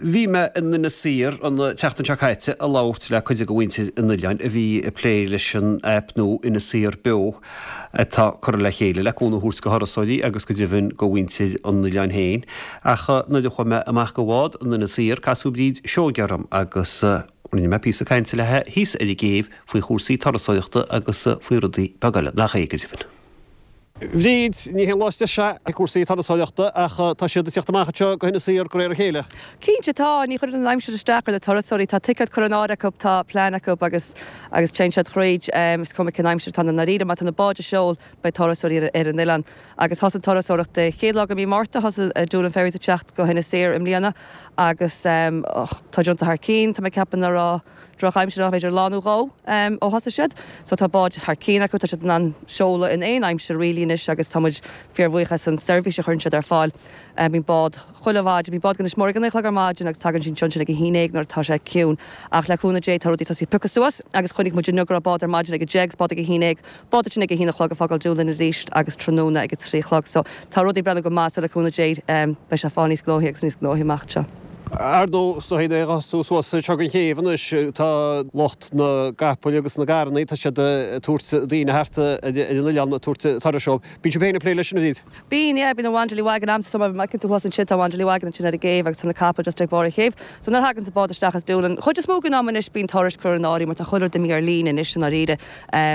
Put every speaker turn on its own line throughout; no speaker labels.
Bhí mé in Inis Oírr an tseachtain seo caite ag labhairt le cuid de mhuintir an oileáin a bhí ag plé leis an aip nua Inis Oírr Beo atá curtha le chéile le cúnamh a thabhairt go thurasóirí agus go deimhin go mhuintir an oileáin féin. Ach nuair a chuaigh mé amach go bhád in Inis Oírr casadh Bríd Seoige orm agus rinne mé píosa cainte léi thíos ar an gcéibh faoi chúrsaí turasóireachta agus faoi rudaí beaga eile, nach é go deimhin. Bhríd, Ní haon lá is deise é cúrsaí turasóireachta ach tá siad ag tíocht amach anseo go hInis Oírr de réir a chéile.
Cinnte tá, ní chuireann an aimsir isteach ar na turasóirí, tá ticéad curtha in áirithe acu, tá plean acu agus agus téann siad thríd, is cuma cén aimsir atá ann i ndáiríre, má tá na báid ag seol beidh turasóirí ar ar an oileán. Agus thosaigh an turasóireacht dé chéad lá de mhí Márta, thosaigh Doolin Ferries ag teacht go hInis Oírr i mbliana agus tá déanta thar cionn, tá mé ag ceapadh nach raibh drochaimsir ach b'fhéidir lá nó dhó ó thosaigh siad. So tá báid thar cionn acu, tá siad in ann seoladh in aon aimsir really anois agus tá muid fíorbhuíoch as an seirbhís a chuireann siad ar fáil. Bíonn bád chuile mhaidin, bíonn bád go Inis Mór ag a 9 a chlog ar maidin agus tagann sí ansin ag a haon déag nuair atá sé ciúin. Ach le cúnamh Dé tá rudaí tosaithe ag piocadh suas agus chonaic muid inniu go raibh bád ar maidin ag a 10 agus bád ag a haon déag, bád ansin ag a haon a chlog ag fágáil Doolin arís agus tráthnóna ag a 3 a chlog. So tá rudaí ag breathnú go maith so le cúnamh Dé beidh sé ag fáil níos gnóthaí agus níos gnóthaí amach anseo.
Ar ndóigh, is dóigh nuair a ghabhfas tú suas anseo don chéibh anois, tá lucht na gcapall agus na gcarrannaí, tá siad ag tabhairt daoine thart ar an oileán, ag tabhairt turais dóibh. Bíonn sibh féin ag plé leis sin, a Bhríd?
Bíonn, yeah, bíonn an Wanderly Wagon a'msa, so má fheiceann tú thuas ansin, tá Wanderly Wagon ansin ar an gcéibh agus tá na capaill just ag barr an chéibh. So nuair a thaganns an bád isteach as Doolin, chuid is mó den am anois bíonn turais curtha in áirithe mar tá chuile rud imithe ar líne anois i ndáiríre.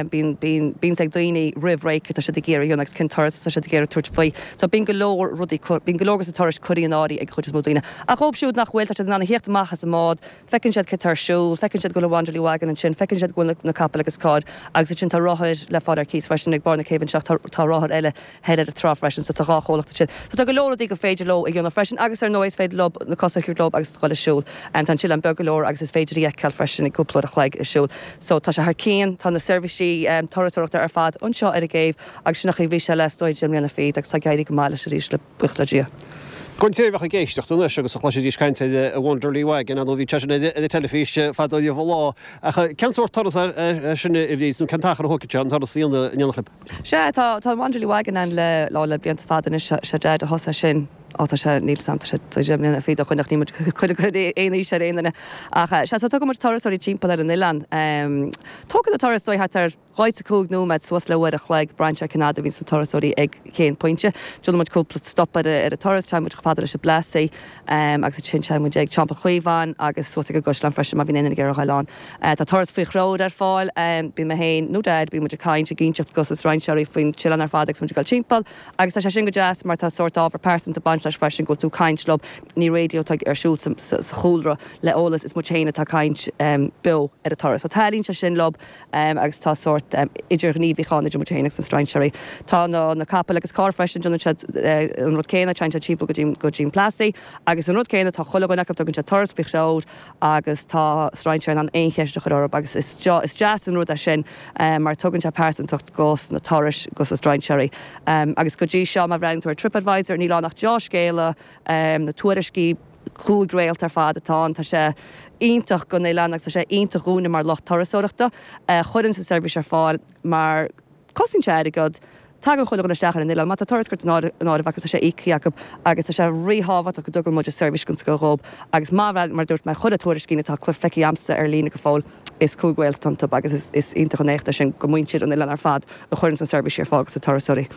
Bíonn, bíonn, bíonn ag daoine roimh ré céard tá siad ag iarraidh a dhéanamh agus cén turas atá siad ag iarraidh tabhairt faoi. So bíonn go leor rudaí, bíonn go leor de na turais curtha in áirithe ag an chuid is mó daoine. Ach dóibh siúd nach bhfuil, tá siad in ann a thíocht amach as an mbád, feiceann siad céard tá ar siúl, feiceann siad go bhfuil an Wanderly Wagon ansin, feiceann siad go bhfuil na capaill agus cairr agus ansin tá rothair le fáil ar cíos freisin ag barr na céibhe anseo, tá, tá rothair eile thoir ar an trá freisin so tá dhá chomhlacht ansin. So tá go leor rudaí gur féidir leo a dhéanamh freisin agus ar ndóigh is féidir leo na cosa a thabhairt leo agus dul ag siúl. Tá an t-oileán beag go leor agus is féidir í a fheiceáil freisin i gcúpla uair a chloig ag siúl. So tá sé thar cionn, tá na seirbhísí turasóireachta ar fad anseo ar an gcéibh agus sin an chaoi a bhí sé le is dóigh 10 mbliana fichead agus tá ag éirí go maith leis arís le buíochas le Dia.
Don té a bheadh ag éisteacht anois agus a chloisfidís caint ar an Wanderly Wagon, ar ndóigh bhí sé sin ar an teilifís fadó riamh an lá, ach cén sórt turas é sin a Bhríd, nó cén t-achar a thógfaidh sé an turas a dhéanamh in éineacht libh?
Sea, tá, tá an Wanderly Wagon ann le, lá, le blianta fada anois, sé Deaid a thosaigh sin, á tá sé, níl 's a'm, tá sé 10 mbliana fichead ó shoin ach níl muid ag cur aon aois ar aon duine. Ach sea, so tugann muid turasóirí timpeall ar an oileán. Tógann an turas is dóigh thart ar 45 nóiméad suas le uair a chloig, braitheann sé cén fhad a bhíonns na turasóirí ag cén pointe. Déanann muid cúpla stop ar an turas, téann muid chomh fada leis an Plassey agus ansin téann muid ag Teampall Chaomháin agus suas ag an gCaisleán freisin má bhíonn aon duine ag iarraidh a ghoil ann. Tá turas faoi threoir ar fáil. Bíonn mé féin nó Daid, bíonn muid ag caint, ag inseacht dos na strainséirí faoin t-oileán ar fad agus muid ag dul timpeall. Agus tá sé sin go deas mar tá sórt ábhar pearsanta ag baint leis freisin, go bhfuil tú ag caint leo, ní raidió atá ar siúl sa chúlra le eolas, is muid féin atá ag caint beo ar an turas. So taitníonn sé sin leo agus tá sórt idirghníomhaíocht ann idir muid féin agus na strainséirí. Tá na capaill agus cairr freisin, déanann siad an rud céanna, téann siad timpeall go dtí an Plassey agus an rud céanna, tá chuile dhuine acu, tugann siad turas faoi threoir. agus tá strainséir in ann aon cheist a chur orthu agus is is deas an rud é sin mar tugann sé pearsantacht dos na turais dos na strainséirí. Agus go dtí seo má bhreathnaíonn tú ar TripAdvisor níl ann ach deá-scéala, na tuairiscí 5 réalt ar fad atá ann, tá sé iontach don oileán agus tá sé iontach dhúinne mar lucht turasóireachta a chuireann an seirbhís ar fáil mar Cosnaíonn sé airgead. Tagann chuile dhuine isteach ar an oileán. Má tá turas curtha in áirithe acu, tá sé íoctha acu agus tá sé ríthábhachtach go dtugann muid an seirbhís den scoth dhóibh agus má bhreathnaíonn, mar a dúirt mé, chuile tuairiscín atá feicthe a'msa ar líne go fóill, is 5 réalt atá iontu agus is iontach an éacht é sin go muintir an oileáin ar fad a chuireanns an seirbhísí ar fáil dos na turasóirí.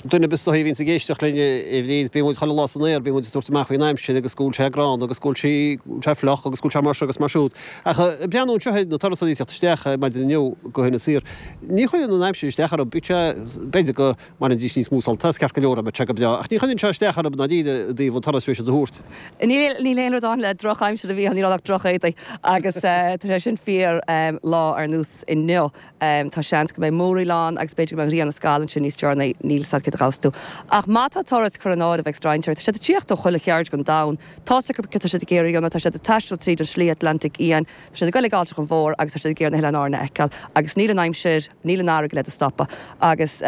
Duine ar bith is dóichí a bhíonns ag éisteacht linn, a Bhríd, bíonn muid chuile lá san aer, bíonn muid ag tabhairt amach faoin aimsir agus go bhfuil sé gránna agus go bhfuil sí, go bhfuil sé fliuch agus go bhfuil sé mar seo agus mar siúd. Ach ag breathnú anseo ar na turasóirí ag teacht isteach maidin inniu go hInis Oírr, Ní chuireann an aimsir isteach orthu, bíodh sé, b'fhéidir go mbainfidís níos mó sult as, ceart go leor, dá mbeadh sé go breá, ach ní chuireann sé isteach orthu i ndáiríre i dtaobh an turas a bhí siad a thabhairt.
Níl, níl aon rud ann le drochaimsir a Mhícheáil, níl ann ach drochéadaí agus tá sé sin fíor lá ar nós inniu. Tá seans go mbeidh múraíl ann agus b'fhéidir go mbeidh an ghrian ag scalladh ansin níos deireanaí, níl 's a'd céard a ghabhfas tú. Ach má tá turas curtha in áirithe ag strainséir, tá siad ag tíocht ó chuile cheird den domhan, tá's acu céard tá siad ag iarraidh a dhéanamh, tá siad ag taisteal tríd an Slí Atlantaigh Fhiáin, Tá siad ag goil ag Ailltreach an Mhór agus tá siad ag iarraidh na hOileáin Árann a fheiceáil agus níl an aimsir, níl an fharraige le do stopadh. Agus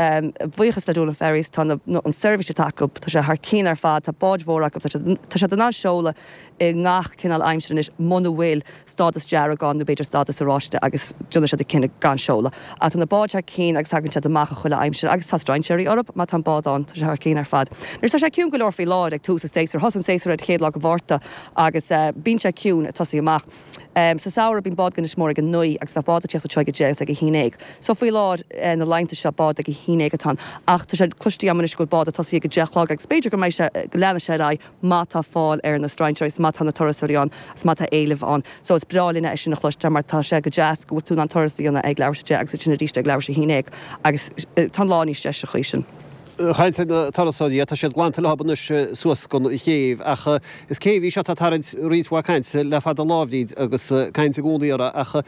buíochas le Doolin Ferries, tá na, an seirbhís atá acu, tá sé thar cionn ar fad, tá báid mhóra acu, tá siad, tá siad in ann seoladh i ngach cineál aimsire anois muna bhfuil. stádas dearg ann nó b'fhéidir stádas oráiste agus déanann siad an cinneadh gan seoladh. Ach tá na báid thar cinn agus tagann siad amach i chuile aimsir agus tá strainséirí orthu má tá an bád ann, tá sé thar cinn ar fad. Anois tá sé ciúin go leor faoi láthair ag tús an tséasúir. Thosaigh an séasúr ar an chéad lá de Mhárta agus bíonn sé ciúin ag tosaí amach. Sa samhradh bíonn bád go Inis Mór ag a naoi agus bheadh bád ag tíocht anseo ag a deich agus ag a haon dhéag. So faoi láthair na laethanta seo bád ag a haon dhéag atá ann ach tá sé cloiste agam anois go bhfuil bád ag tosaí ag a deich a chlog agus b'fhéidir go mbeidh sé, go leanfaidh sé ar aghaidh má tá fáil ar na strainséirí is má tá na turasóirí ann is má tá éileamh ann. So is breá linne é sin a chloisteáil mar tá sé go deas go bhfuil tú in ann turas a dhéanamh ag leathuair tar éis a deich agus ansin arís ag leathuair tar éis a haon dhéag agus tá an lá níos deise an chaoi sin.
Caint ar na turasóirí, tá siad glanta leo anois suas gon chéibh ach is céibh í seo atá ag tarraingt roinnt mhaith cainte le fada an lá a Bhríd agus caint i gcónaí uirthi ach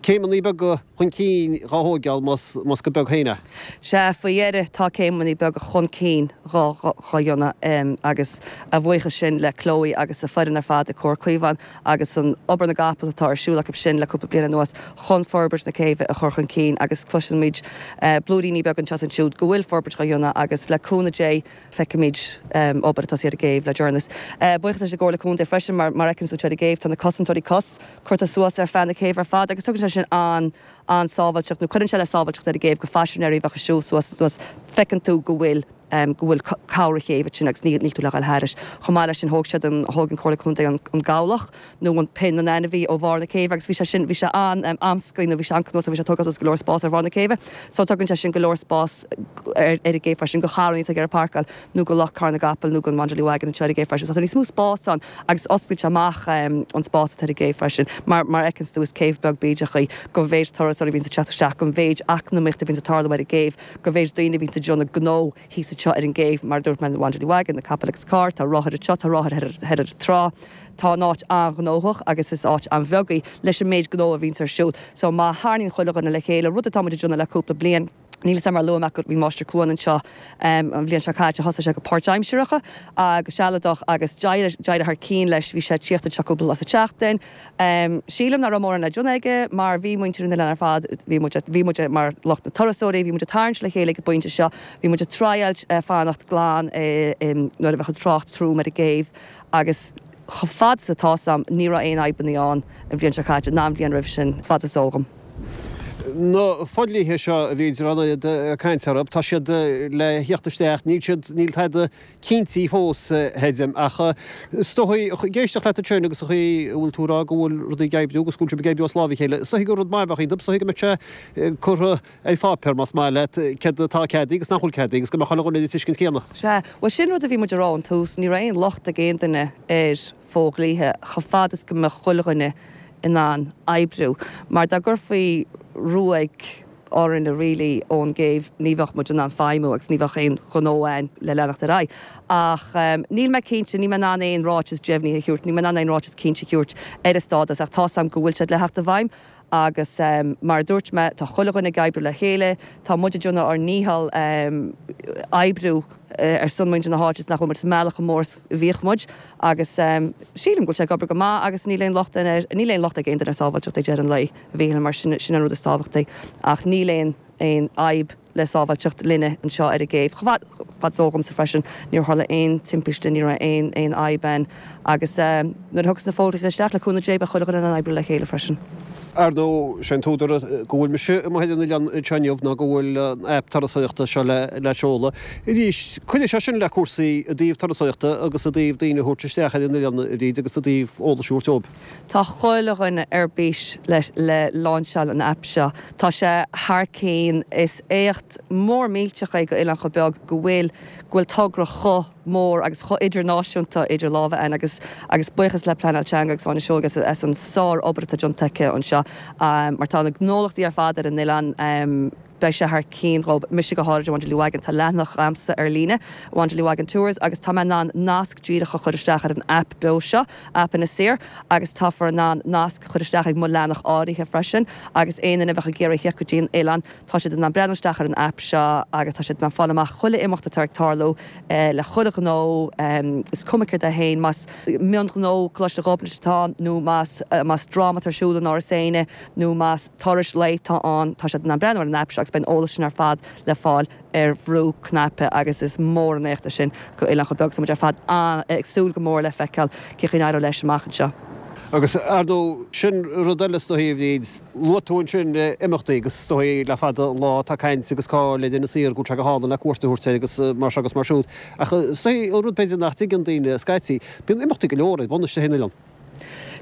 céimeanna beaga chun cinn dhá thóigeáil más go beag féin é.
Sea, faoi dheireadh tá céimeanna beaga chun cinn dhá dhéanamh agus a bhuíochas sin le Chloe agus a foireann ar fad ag Comhar Caomhán agus an obair na gcapall atá ar siúl acu sin le cúpla bliain anuas chun forbairt na céibhe a chur chun cinn agus cloisimid blúiríní beaga anseo is ansiúd go bhfuil forbairt dhá dhéanamh agus le cúnamh Dé feicfimid obair ag tosaí ar an gcéibh le deireanas. Buíochas leis an gComhairle Contae freisin mar mar a fheiceann tú anseo ar an gcéibh tá na cosantóirí cos curtha suas ar feadh na céibhe ar fad agus tugann sé sin an an-sábháilteacht nó cuireann sé le sábháilteacht ar an gcéibh go phaisinéirí a bheadh ag siúl suas anuas feiceann tú go bhfuil go bhfuil cabhair chéibhe ansin agus níl tú le dhul thairis. Chomh maith leis sin thóg siad an, thóg an Comhairle Contae an gabhlach nó an pinn an ainmhí ó bharr na céibhe agus bhí sé sin, bhí sé an-amscaí nó bhí sé an-cnuasach, bhí sé ag tógáil suas go leor spás ar bharr na céibhe. So tugann sé sin go leor spás ar ar an gcéibh freisin do charranna atá ag iarraidh páirceáil nó do lucht carr na gcapall nó don Wanderly Wagon anseo ar an gcéibh freisin. So tá níos mó spás ann agus osclaíonn sé amach an spás atá ar an gcéibh freisin. Mar mar a fheiceanns tú is céibh beag bídeach í don mhéid turasóirí a bhíonns ag teacht isteach, don mhéid eacnamaíocht a bhíonns ag tarlú ar an gcéibh. Don mhéid daoine a bhíonns ag déanamh gnó thíos anseo ar an gcéibh, mar a dúirt mé, na Wanderly Wagon, na capaill agus cairr, tá rothair anseo, tá rothair thoir ar an trá. Tá an áit an-ghnóthach agus is áit an-bheag í leis an méid gnó a bhíonns ar siúl. So má tharraingíonn chuile dhuine le chéile, rud atá muid ag déanamh le cúpla bliain, níl 'fhios a'm ar luaigh mé go bhí Máistir Cuan anseo an bhliain seo caite, thosaigh sé go páirtaimseartha agus sealadach agus d'éirigh thar cinn leis, bhí sé ag tíocht anseo cúpla lá sa tseachtain. Sílim nach raibh mórán le déanamh aige mar bhí muintir an oileáin ar fad, bhí muid, bhí muid mar lucht na turasóirí, bhí muid ag tarraingt le chéile ag an bpointe seo, bhí muid ag triáilt fanacht glan nuair a bheadh an trácht trom ar an gcéibh agus chomh fada is atá 'fhios a'm ní raibh aon fhadhbanna ann an bhliain seo caite ná an bhliain roimhe sin, fad is eol dhom.
Na fodhlíthe seo a bhí ag caint orthu, tá siad le theacht isteach, níl siad, níl tada cinntithe fós, creidim. Ach is dóigh, ag éisteacht leat ansin agus an chaoi a bhfuil tú ag rá go bhfuil rudaí ag oibriú agus go bhfuil sibh ag oibriú as lámh a chéile, is dóigh gur rud maith a bheadh iontu, is dóigh go mbeadh sé curtha ar pháipéar, más maith leat, céard atá ceadaithe agus nach bhfuil ceadaithe agus go mbeadh chuile dhuine ar an tuiscint chéanna.
Sea, bhuel sin rud a bhí muid a rá ón tús, ní raibh aon locht ag aon duine ar fhodhlíthe chomh fada is go mbeadh chuile dhuine in ann oibriú. Mar dá gcuirfí ruaig orainne really ón gcéibh ní bheadh muid in ann feidhmiú agus ní bheadh aon ghnó againn le leanacht ar aghaidh. Ach níl mé cinnte, níl mé in ann aon ráiteas deimhnithe a thabhairt, níl mé in ann aon ráiteas cinnte a thabhairt ar an stádas ach tá's agam go bhfuil siad le theacht i bhfeidhm agus mar a dúirt mé tá chuile dhuine ag oibriú le chéile, tá muid ag déanamh ár ndícheall oibriú ar son muintir na háite is nach bhfuil muid sa mbealach chomh mór is a bhíodh muid agus sílim go bhfuil sé ag obair go maith agus níl aon locht air, níl aon locht ag aon duine ar sábháilteacht ag deireadh an lae. a Mhíchíl, mar sin, sin an rud is tábhachtaí. Ach níl aon, aon fhadhb le sábháilteacht linne anseo ar an gcéibh. Chomh fad, fad is eol dhomsa freisin, níor tharla aon timpiste, ní raibh aon, aon fhadhb ann. Agus nuair a thiocfas na fodhlíthe isteach, le cúnamh Dé, beidh chuile dhuine in ann oibriú le chéile freisin.
Ar ndóigh, sé an t-údar go bhfuil mise amuigh ar an oileán anseo inniu ná go bhfuil an aip turasóireachta seo le, le seoladh. Arís, cuirfidh sé sin le cúrsaí i dtaobh turasóireachta agus i dtaobh daoine a thabhairt isteach ar an oileán, a Bhríd, agus i dtaobh eolais a thabhairt dóibh.
Tá chuile dhuine ar bís le láinseáil an aip seo. Tá sé thar cinn. Is éacht mór millteach é go oileán chomh beag go bhfuil go bhfuil togra chomh mór agus chomh idirnáisiúnta idir lámha againn agus agus buíochas le Pleanáil Teanga agus Áine Seoige as an sár obair atá déanta aici anseo mar tá na gnólachtaí ar fad ar an oileán Beidh sé thar cinn dhóibh. Mise go háirid, Wanderly Wagon. Tá leathanach a'msa ar líne, Wanderly Wagon Tours, agus tá mé in ann nasc díreach a chur isteach ar an aip beo seo, aip Inis Oírr, agus táfar in ann nasc a chur isteach ag mo leathanach áirithe freisin, agus aon duine a bheadh ag iarraidh theacht go dtí an oileán, tá siad in ann breathnú isteach ar an aip seo agus tá siad in ann fáil amach chuile imeacht atá ag tarlú le chuile ghnó, is cuma céard é féin, más mionghnó Coláiste Ghobnait atá ann nó más más dráma atá ar siúl in Áras Éanna nó más. turais lae atá ann, tá siad in ann breathnú ar an aip seo agus beidh an eolas sin ar fad le fáil ar bhrú cnaipe agus is mór an éacht é sin go oileán chomh beag so muid ar fad ag súil go mór le feiceáil cén chaoi a n-éireoidh leis amach anseo.
Agus, ar ndóigh, sin rud eile is dóichí, a Bhríd, luaigh tú ansin imeachtaí agus is dóichí le fada an lá tá caint agus cáil ar Inis Oírr go bhfuil sé go hálainn le cuairt a thabhairt air agus mar seo agus mar siúd. Ach is dóichí an rud b'fhéidir nach dtuigeann daoine scaití, bíonn imeachtaí go leor ar bun istigh ar an oileán.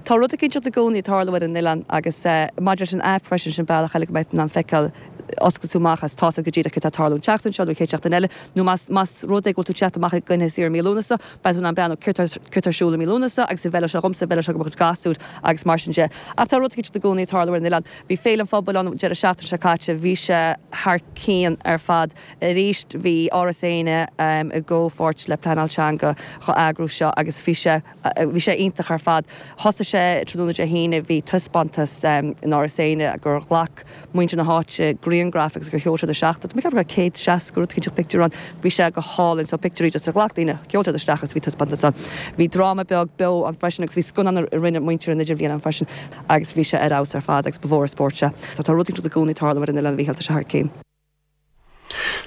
Tá rud eicínt i gcónaí ag tarlú ar an oileán agus maidir leis an aip freisin, sin bealach eile go mbeidh tú in ann feiceáil, osclaíonn tú amach agus tá's agat go díreach céard atá ag tarlú an tseachtain seo nó an chéad seachtain eile nó más más rud é go bhfuil tú ag teacht amach i gcoinne saoire mí Lúnasa, Beidh tú in ann breathnú céard tá ar siúl i mí Lúnasa agus an bhfeilfeadh sé dhomsa, an bhfeilfeadh sé do mo chuid gasúr agus mar sin de. Ach tá rud eicínt i gcónaí ag tarlú ar an oileán. Bhí Féile an Phobail ann an deireadh seachtaine seo caite, bhí sé thar cionn ar fad. Arís bhí Áras Éanna i gcomhpháirt le Pleanáil Teanga dhá eagrú seo agus bhí sé, bhí sé iontach ar fad. Thosaigh sé tráthnóna Dé hAoine, bhí taispeántas in Áras Éanna gur ghlac muintir na háite grianghraif agus gur sheol siad isteach, tá mé ag ceapadh go raibh 160 rud eicínt pictiúr ann, bhí sé go hálainn, so pictiúirí just a ghlac daoine, sheol siad isteach agus bhí taispeántas ann. Bhí dráma beag beo ann freisin agus bhí scannán a rinne muintir an Idirbhliain ann freisin agus bhí sé ar fheabhas ar fad agus ba mhór an spórt sé. So tá rud eicínt i gcónaí ag tarlú ar an oileán, a Mhíchíl, tá sé thar cionn.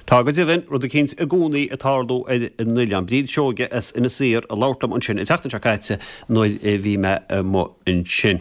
Tá go deimhin, rud eicínt i gcónaí ag tarlú ar an oileán. Bríd Seoige as Inis Oírr ag labhairt liom ansin an tseachtain seo caite nuair a bhí mé amuigh ansin.